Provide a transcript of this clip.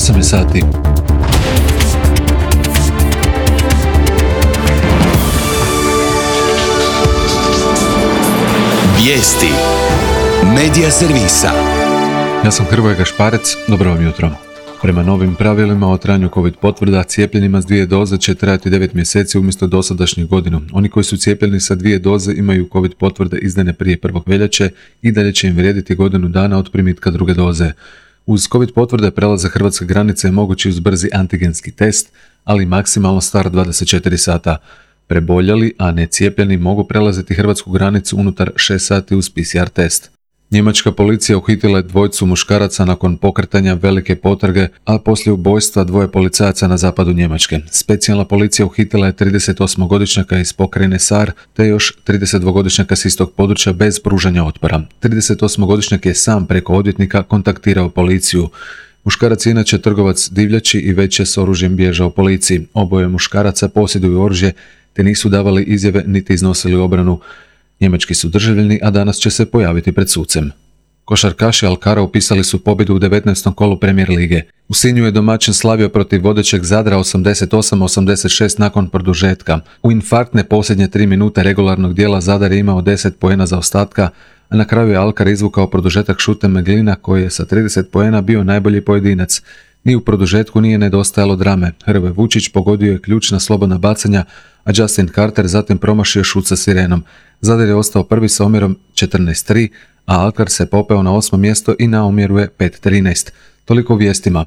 8 je sati. Vijesti Medija servisa. Ja sam Hrvoje Gašparec, dobro vam jutro. Prema novim pravilima o trajanju COVID potvrda, cijepljenima s 2 doze će trajati 9 mjeseci umjesto dosadašnjih godinu. Oni koji su cijepljeni sa 2 doze imaju COVID potvrde izdane prije 1. veljače i dalje će im vrijediti godinu dana od primitka 2. doze. Uz COVID potvrde prelazak hrvatske granice je mogući uz brzi antigenski test, ali maksimalno star 24 sata. Preboljeli, a ne cijepljeni mogu prelaziti hrvatsku granicu unutar 6 sati uz PCR test. Njemačka policija uhitila je 2 muškaraca nakon pokretanja velike potrage, a poslije ubojstva 2 policajaca na zapadu Njemačke. Specijalna policija uhitila je 38-godišnjaka iz pokrajine Saar, te još 32-godišnjaka s istog područja bez pružanja otpora. 38-godišnjak je sam preko odvjetnika kontaktirao policiju. Muškarac je inače trgovac divljači i već je s oružjem bježao policiji. Oboje muškaraca posjeduju oružje, te nisu davali izjave niti iznosili obranu. Njemački su državljani, a danas će se pojaviti pred sucem. Košarkaši Alkara upisali su pobjedu u 19. kolu Premier lige. U Sinju je domaćin slavio protiv vodećeg Zadra 88-86 nakon produžetka. U infarktne posljednje 3 minute regularnog dijela Zadar je imao 10 poena zaostatka, a na kraju je Alkar izvukao produžetak šutem Meglina koji je sa 30 poena bio najbolji pojedinac. Ni u produžetku nije nedostajalo drame. Hrvoje Vučić pogodio je ključna slobodna bacanja, a Justin Carter zatim promašio šut sa sirenom. Zadar je ostao prvi sa omjerom 14-3, a Alkar se popeo na 8. mjesto i na omjeru je 5-13. Toliko u vijestima.